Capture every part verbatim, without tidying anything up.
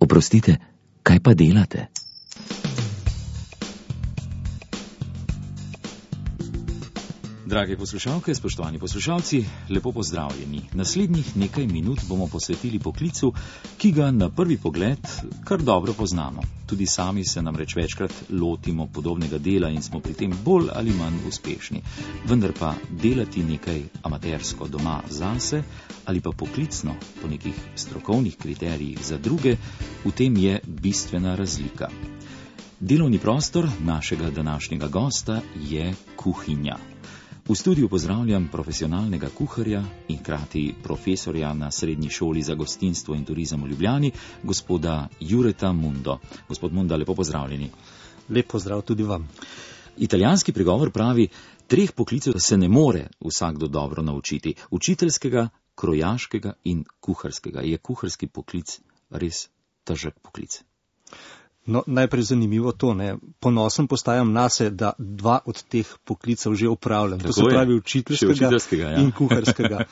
Oprostite, kaj pa delate? Drage poslušalke, spoštovani poslušalci, lepo pozdravljeni. Naslednjih nekaj minut bomo posvetili poklicu, ki ga na prvi pogled kar dobro poznamo. Tudi sami se namreč večkrat lotimo podobnega dela in smo pri tem bolj ali manj uspešni. Vendar pa delati nekaj amatersko doma zase ali pa poklicno po nekih strokovnih kriterijih za druge, v tem je bistvena razlika. Delovni prostor našega današnjega gosta je kuhinja. V studiu pozdravljam profesionalnega kuharja in hkrati profesorja na Srednji šoli za gostinstvo in turizem v Ljubljani, gospoda Jureta Mundo. Gospod Munda, lepo pozdravljeni. Lep pozdrav tudi vam. Italijanski pregovor pravi, treh poklicev se ne more vsakdo dobro naučiti. Učiteljskega, krojaškega in kuharskega. Je kuharski poklic res težek poklic? No, najprej zanimivo to, ne. Ponosen postajam nase, da dva od teh poklicev že opravljam. Tako to se je. pravi učiteljskega, učiteljskega ja. in kuharskega.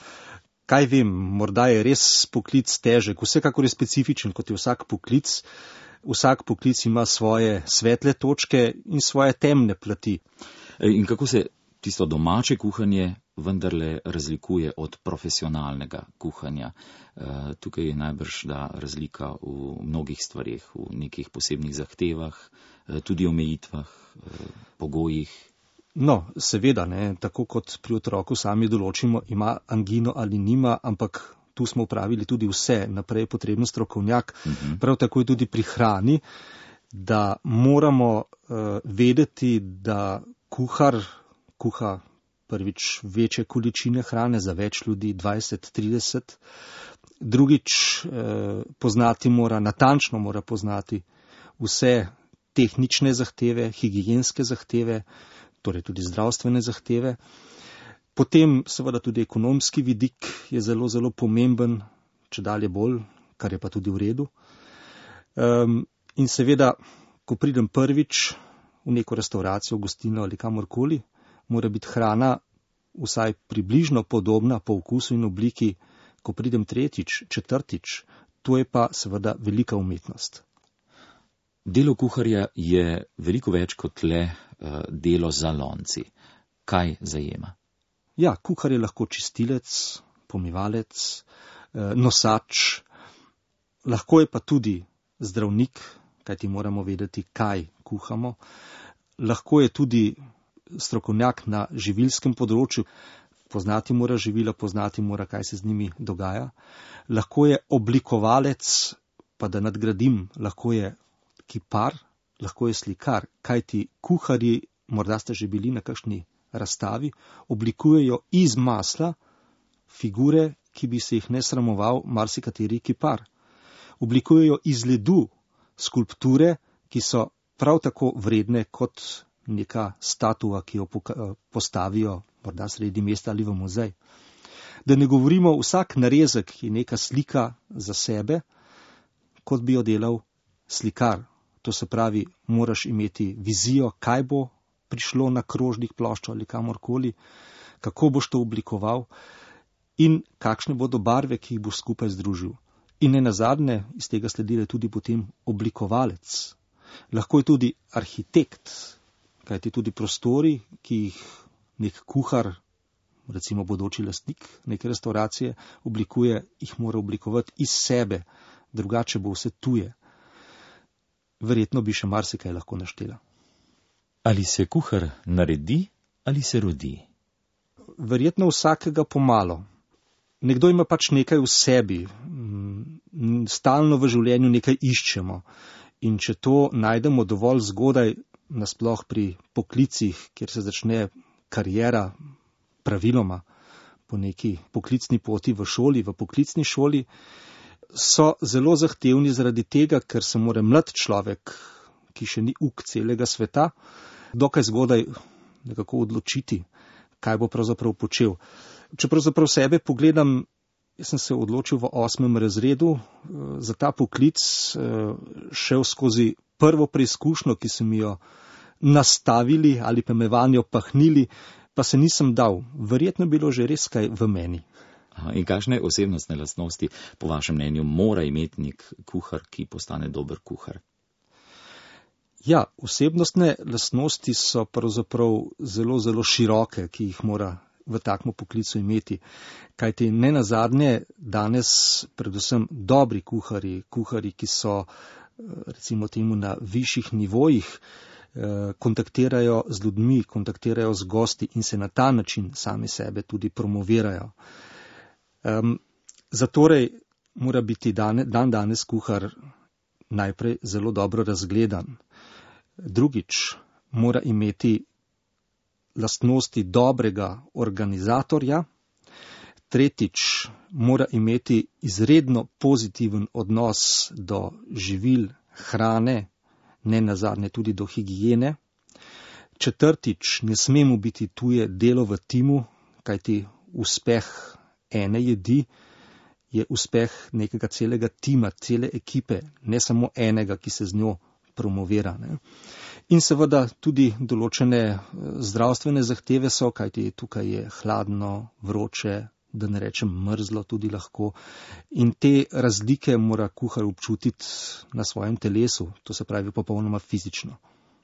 Kaj vem, morda je res poklic težek, vsekakor je specifičen, kot je vsak poklic. Vsak poklic ima svoje svetle točke in svoje temne plati. In kako se tisto domače kuhanje vendarle razlikuje od profesionalnega kuhanja? Tukaj je najbrž da razlika v mnogih stvarih, v nekih posebnih zahtevah, tudi omejitvah, pogojih. No, seveda, ne, tako kot pri otroku sami določimo, ima angino ali nima, ampak tu smo upravili tudi vse, naprej je potreben strokovnjak. Uh-huh. Prav tako je tudi pri hrani, da moramo uh, vedeti, da kuhar kuha prvič večje količine hrane za več ljudi, dvajset, trideset. Drugič eh, poznati mora, natančno mora poznati vse tehnične zahteve, higienske zahteve, torej tudi zdravstvene zahteve. Potem seveda tudi ekonomski vidik je zelo, zelo pomemben, če dalje bolj, kar je pa tudi v redu. Um, in seveda, ko pridem prvič v neko restauracijo, gostilno ali kamorkoli, mora biti hrana vsaj približno podobna po okusu in obliki, ko pridem tretjič, četrtič, to je pa seveda velika umetnost. Delo kuharja je veliko več kot le uh, delo za lonci. Kaj zajema? Ja, kuhar je lahko čistilec, pomivalec, uh, nosač, lahko je pa tudi zdravnik, kajti moramo vedeti, kaj kuhamo. Lahko je tudi strokovnjak na živilskem področju, poznati mora živila, poznati mora, kaj se z njimi dogaja. Lahko je oblikovalec, pa da nadgradim, lahko je kipar, lahko je slikar, kajti kuharji, morda ste že bili na kakšni razstavi, oblikujejo iz masla figure, ki bi se jih ne sramoval marsikateri kipar. Oblikujejo iz ledu skulpture, ki so prav tako vredne kot neka statua, ki jo postavijo morda sredi mesta ali v muzej. Da ne govorimo, vsak narezek je neka slika za sebe, kot bi jo delal slikar. To se pravi, moraš imeti vizijo, kaj bo prišlo na krožnik, ploščo ali kamorkoli, kako boš to oblikoval in kakšne bodo barve, ki jih boš skupaj združil. In ne nazadnje, iz tega sledi tudi potem oblikovalec. Lahko je tudi arhitekt, kajti tudi prostori, ki jih nek kuhar, recimo bodoči lastnik neke restauracije, oblikuje, jih mora oblikovati iz sebe, drugače bo vse tuje. Verjetno bi še marsikaj lahko naštela. Ali se kuhar naredi ali se rodi? Verjetno vsakega pomalo. Nekdo ima pač nekaj v sebi, stalno v življenju nekaj iščemo. In če to najdemo dovolj zgodaj, nasploh pri poklicih, kjer se začne kariera praviloma po neki poklicni poti v šoli, v poklicni šoli, so zelo zahtevni zaradi tega, ker se mora mlad človek, ki še ni uk celega sveta, dokaj zgodaj nekako odločiti, kaj bo pravzaprav počel. Če pravzaprav sebe pogledam, jaz sem se odločil v osmem razredu za ta poklic, šel skozi prvo preizkušnjo, ki sem jo nastavili ali pa me vanjo pahnili, pa se nisem dal. Verjetno bilo že res kaj v meni. In kakšne osebnostne lastnosti, po vašem mnenju, mora imeti nek kuhar, ki postane dober kuhar? Ja, osebnostne lastnosti so pravzaprav zelo, zelo široke, ki jih mora v takem poklicu imeti. Kajti ne nazadnje danes predvsem dobri kuharji, kuharji, ki so recimo temu na višjih nivojih, kontaktirajo z ljudmi, kontaktirajo z gosti in se na ta način sami sebe tudi promovirajo. Um, zatorej mora biti dan, dan danes kuhar najprej zelo dobro razgledan. Drugič, mora imeti lastnosti dobrega organizatorja. Tretjič, mora imeti izredno pozitiven odnos do živil, hrane, ne nazadnje tudi do higiene. Četrtič, ne sme mu biti tuje delo v timu, kajti uspeh ene jedi je uspeh nekega celega tima, cele ekipe, ne samo enega, ki se z njo promovira. Ne. In seveda tudi določene zdravstvene zahteve so, kajti tukaj je hladno, vroče, da ne rečem mrzlo tudi lahko. In te razlike mora kuhar občutiti na svojem telesu, to se pravi popolnoma fizično.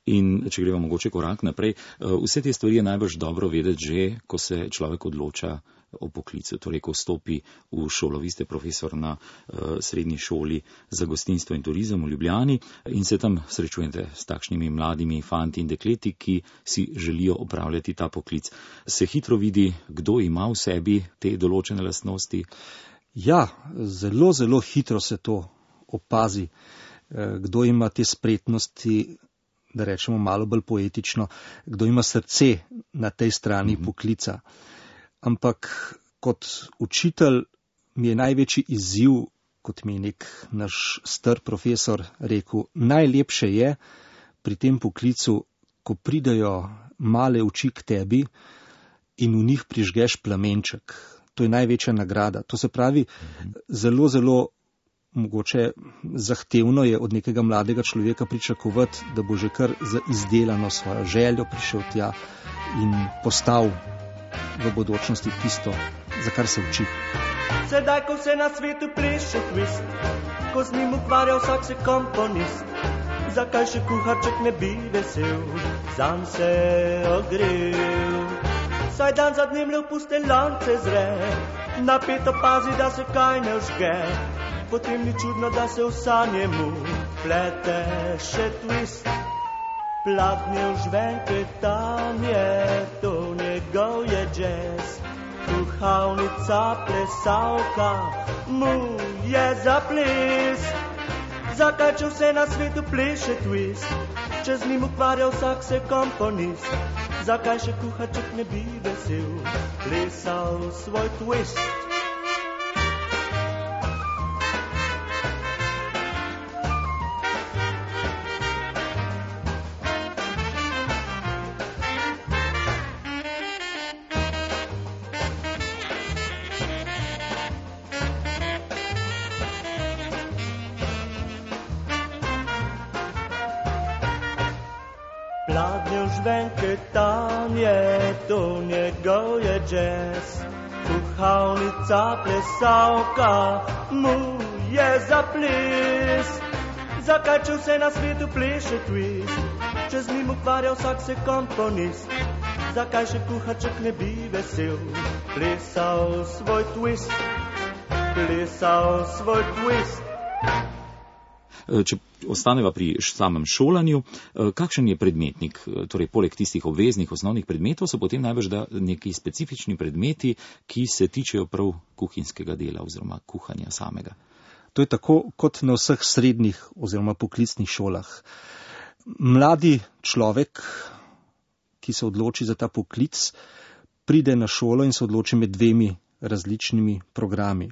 In če gremo mogoče korak naprej, vse te stvari je najbrž dobro vedeti že, ko se človek odloča o poklicu, torej ko vstopi v šolo. Vi ste profesor na uh, srednji šoli za gostinstvo in turizem v Ljubljani in se tam srečujete s takšnimi mladimi fanti in dekleti, ki si želijo opravljati ta poklic. Se hitro vidi, kdo ima v sebi te določene lastnosti? Ja, zelo, zelo hitro se to opazi, kdo ima te spretnosti, da rečemo malo bolj poetično, kdo ima srce na tej strani mm-hmm. poklica. Ampak kot učitelj mi je največji izziv, kot mi je nek naš star profesor rekel, najlepše je pri tem poklicu, ko pridejo male oči k tebi in v njih prižgeš plamenček. To je največja nagrada. To se pravi, mm-hmm. zelo, zelo mogoče zahtevno je od nekega mladega človeka pričakovati, da bo že kar za izdelano svojo željo prišel tja in postal v bodočnosti tisto, za kar se uči. Sedaj, ko se na svetu pleše twist, ko z njim ukvarja vsak se komponist, zakaj še kuharček ne bi vesel, zanj se ogrel. Saj dan za dnem le v puste lonce zre, napeto pazi, da se kaj ne vžge, potem ni čudno, da se v sanje mu plete še twist. Pladnje v žvenke tam je, to njegov je jazz, kuhalnica plesavka mu je za ples. Zakaj, če vse na svetu pleše twist, če z njim ukvarja vsak se komponist, zakaj še kuharček ne bi vesel plesal svoj twist? Pladnje v žvenke tam je, to njegov je jazz, kuhalnica plesavka mu je za ples. Zakaj, če vse na svetu pleše twist, če z njim ukvarja vsak se komponist, zakaj še kuharček ne bi vesel plesal svoj twist, plesal svoj twist. Če ostaneva pri samem šolanju, kakšen je predmetnik? Torej, poleg tistih obveznih osnovnih predmetov so potem najbrž da neki specifični predmeti, ki se tičejo prav kuhinjskega dela oziroma kuhanja samega. To je tako kot na vseh srednjih oziroma poklicnih šolah. Mladi človek, ki se odloči za ta poklic, pride na šolo in se odloči med dvemi različnimi programi.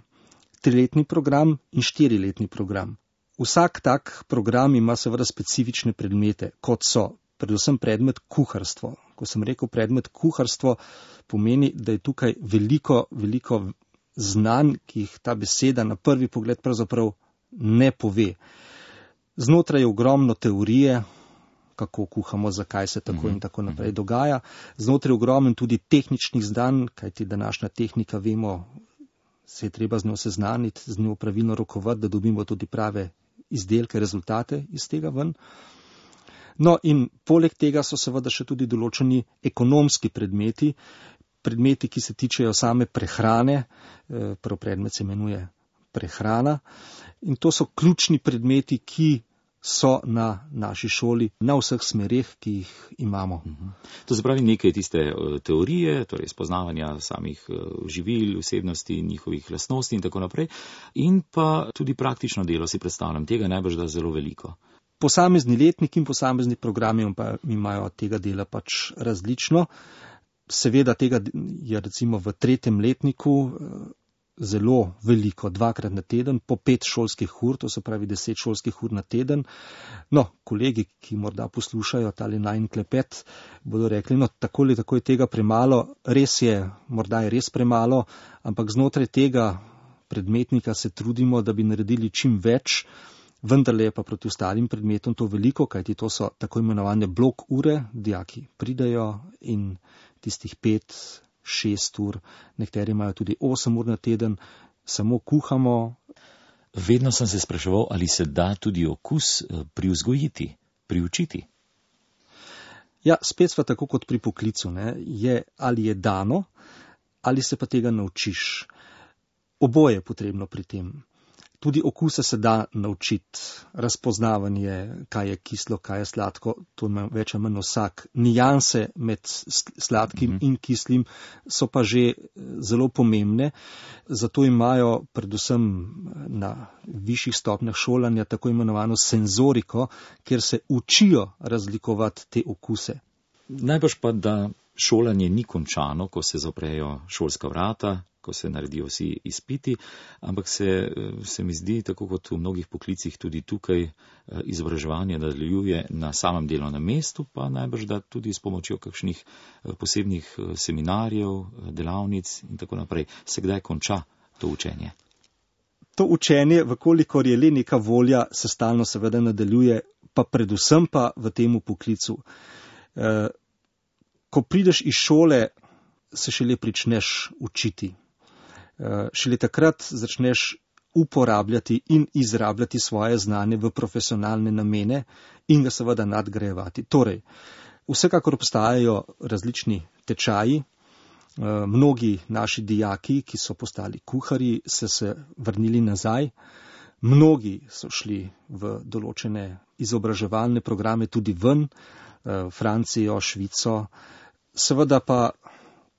Triletni program in štiriletni program. Vsak tak program ima seveda specifične predmete, kot so predvsem predmet kuharstvo. Ko sem rekel predmet kuharstvo, pomeni, da je tukaj veliko, veliko znanj, ki jih ta beseda na prvi pogled pravzaprav ne pove. Znotraj je ogromno teorije, kako kuhamo, zakaj se tako in tako naprej dogaja. Znotraj je ogromno tudi tehničnih znanj, kajti današnja tehnika, vemo, se je treba z njo seznaniti, z njo pravilno rokovati, da dobimo tudi prave izdelke, rezultate iz tega ven. No in poleg tega so seveda še tudi določeni ekonomski predmeti, predmeti, ki se tičejo same prehrane, prvi predmet se imenuje prehrana in to so ključni predmeti, ki so na naši šoli, na vseh smereh, ki jih imamo. To se pravi nekaj tiste teorije, torej spoznavanja samih živil, vsebnosti, njihovih lastnosti in tako naprej, in pa tudi praktično delo, si predstavljam, tega najbrž da zelo veliko. Posamezni letnik in posamezni programi pa imajo tega dela pač različno. Seveda tega je recimo v tretjem letniku zelo veliko, dvakrat na teden, po pet šolskih ur, to se pravi deset šolskih ur na teden. No, kolegi, ki morda poslušajo tale najin klepet, bodo rekli, no, tako ali tako je tega premalo, res je, morda je res premalo, ampak znotraj tega predmetnika se trudimo, da bi naredili čim več, vendarle je pa proti ostalim predmetom to veliko, kajti to so tako imenovane blok ure, dijaki pridejo in tistih pet, šest ur, nekateri imajo tudi osem ur na teden, samo kuhamo. Vedno sem se spraševal, ali se da tudi okus privzgojiti, priučiti. Ja, spet sva tako kot pri poklicu, ne? Je, ali je dano, ali se pa tega naučiš. Oboje je potrebno pri tem. Tudi okuse se da naučiti, razpoznavanje, kaj je kislo, kaj je sladko, to ima več ali manj vsak. Nijanse med sladkim mm-hmm. in kislim so pa že zelo pomembne, zato imajo predvsem na višjih stopnjah šolanja tako imenovano senzoriko, kjer se učijo razlikovati te okuse. Najbrž pa, da šolanje ni končano, ko se zaprejo šolska vrata, ko se naredijo vsi izpiti, ampak se, se mi zdi, tako kot v mnogih poklicih, tudi tukaj izobraževanje nadaljuje na samem delovnem mestu, pa najbrž da tudi s pomočjo kakšnih posebnih seminarjev, delavnic in tako naprej. Se kdaj konča to učenje? To učenje, vkolikor je le neka volja, se stalno seveda nadaljuje, pa predvsem pa v temu poklicu. Ko prideš iz šole, se šele pričneš učiti. Šele takrat začneš uporabljati in izrabljati svoje znanje v profesionalne namene in ga seveda nadgrajevati. Torej, vsekakor obstajajo različni tečaji. Mnogi naši dijaki, ki so postali kuharji, so se vrnili nazaj. Mnogi so šli v določene izobraževalne programe tudi ven, Francijo, Švico. Seveda pa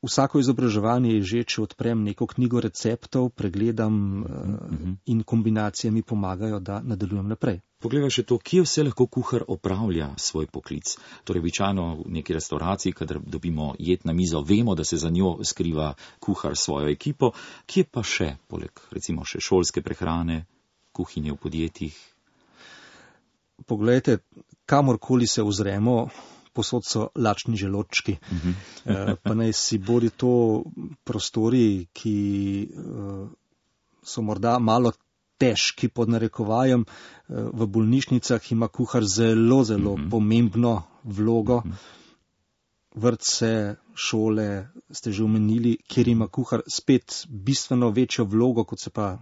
vsako izobraževanje je že, če odprem neko knjigo receptov, pregledam mm-hmm. in kombinacije mi pomagajo, da nadaljujem naprej. Poglejva še to, kje vse lahko kuhar opravlja svoj poklic. Torej, običajno v neki restauraciji, kadar dobimo jed na mizo, vemo, da se za njo skriva kuhar svojo ekipo. Kje pa še, poleg recimo še šolske prehrane, kuhinje v podjetjih? Poglejte, kamorkoli se ozremo, posod so lačni želodčki. Uh-huh. Pa naj si bodi to prostori, ki uh, so morda malo težki pod narekovajem. Uh, v bolnišnicah ima kuhar zelo, zelo uh-huh. pomembno vlogo. Uh-huh. Vrtce, šole ste že omenili, kjer ima kuhar spet bistveno večjo vlogo, kot se pa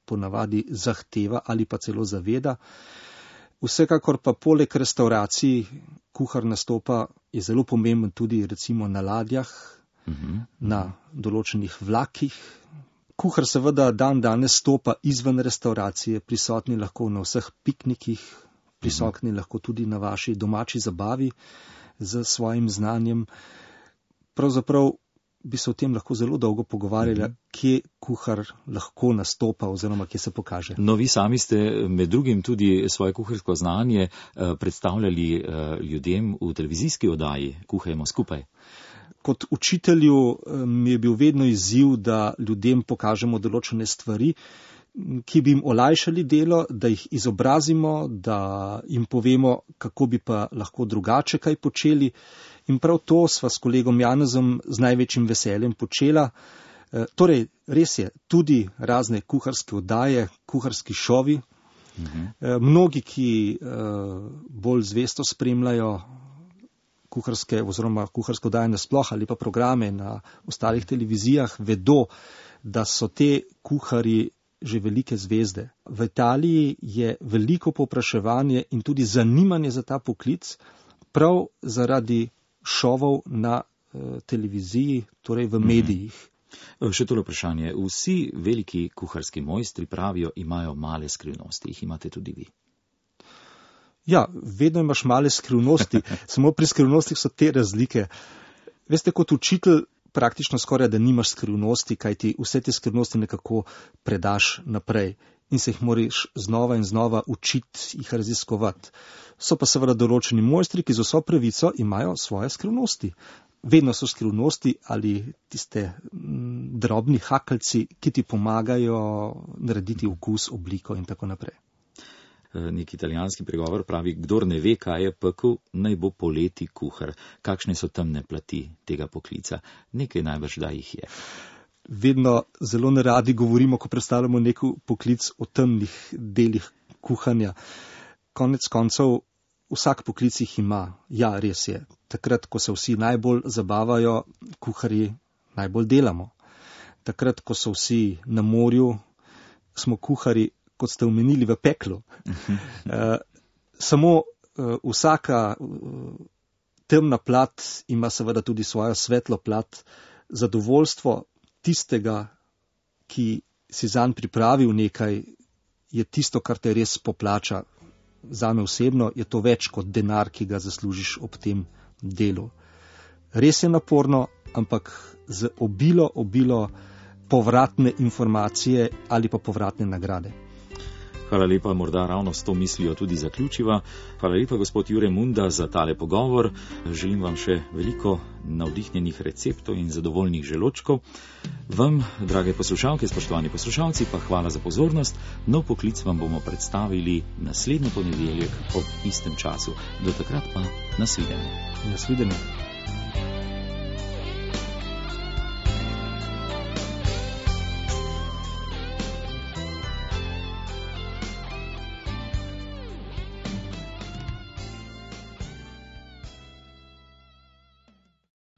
ponavadi zahteva ali pa celo zaveda. Vsekakor pa poleg restauracij kuhar nastopa, je zelo pomemben tudi recimo na ladjah, uh-huh. na določenih vlakih. Kuhar seveda dan danes stopa izven restauracije, prisotni lahko na vseh piknikih, prisotni uh-huh. lahko tudi na vaši domači zabavi z svojim znanjem. Pravzaprav bi se o tem lahko zelo dolgo pogovarjali, mm-hmm. kje kuhar lahko nastopa oziroma kje se pokaže. No, vi sami ste med drugim tudi svoje kuharsko znanje eh, predstavljali eh, ljudem v televizijski oddaji Kuhajmo skupaj. Kot učitelju eh, mi je bil vedno izziv, da ljudem pokažemo določene stvari, ki bi jim olajšali delo, da jih izobrazimo, da jim povemo, kako bi pa lahko drugače kaj počeli. In prav to sva s kolegom Janezom z največjim veseljem počela. E, torej, res je, tudi razne kuharske oddaje, kuharski šovi. Uh-huh. E, mnogi, ki e, bolj zvesto spremljajo kuharske oziroma kuharsko dajanje sploh ali pa programe na ostalih televizijah, vedo, da so te kuharji že velike zvezde. V Italiji je veliko povpraševanje in tudi zanimanje za ta poklic prav zaradi šovov na eh, televiziji, torej v medijih. Mm-hmm. Še tole vprašanje. Vsi veliki kuharski mojstri pravijo, imajo male skrivnosti. Jih imate tudi vi? Ja, vedno imaš male skrivnosti. Samo pri skrivnostih so te razlike. Veste, kot učitelj praktično skoraj, da nimaš skrivnosti, kaj ti vse te skrivnosti nekako predaš naprej in se jih moraš znova in znova učiti, jih raziskovati. So pa seveda določeni mojstri, ki z vso pravico imajo svoje skrivnosti. Vedno so skrivnosti ali tiste m, drobni hakeljci, ki ti pomagajo narediti okus, obliko in tako naprej. Nek italijanski pregovor pravi, kdor ne ve, kaj je pekel, naj bo poleti kuhar. Kakšne so temne plati tega poklica? Nekaj najbrž da jih je. Vedno zelo neradi govorimo, ko predstavljamo nek poklic, o temnih delih kuhanja. Konec koncev, vsak poklic jih ima. Ja, res je. Takrat, ko se vsi najbolj zabavajo, kuharji najbolj delamo. Takrat, ko so vsi na morju, smo kuharji, kot ste omenili, v peklu. Uh, samo uh, vsaka uh, temna plat ima seveda tudi svojo svetlo plat. Zadovoljstvo tistega, ki si zanj pripravil nekaj, je tisto, kar te res poplača. Zame osebno je to več kot denar, ki ga zaslužiš ob tem delu. Res je naporno, ampak z obilo, obilo povratne informacije ali pa povratne nagrade. Hvala lepa, morda ravno s to mislijo tudi zaključiva. Hvala lepa, gospod Jure Munda, za tale pogovor. Želim vam še veliko navdihnjenih receptov in zadovoljnih želočkov. Vam, drage poslušalke, spoštovani poslušalci, pa hvala za pozornost. Nov poklic vam bomo predstavili naslednji ponedeljek ob istem času. Do takrat pa nasvidenje. Nasvidenje.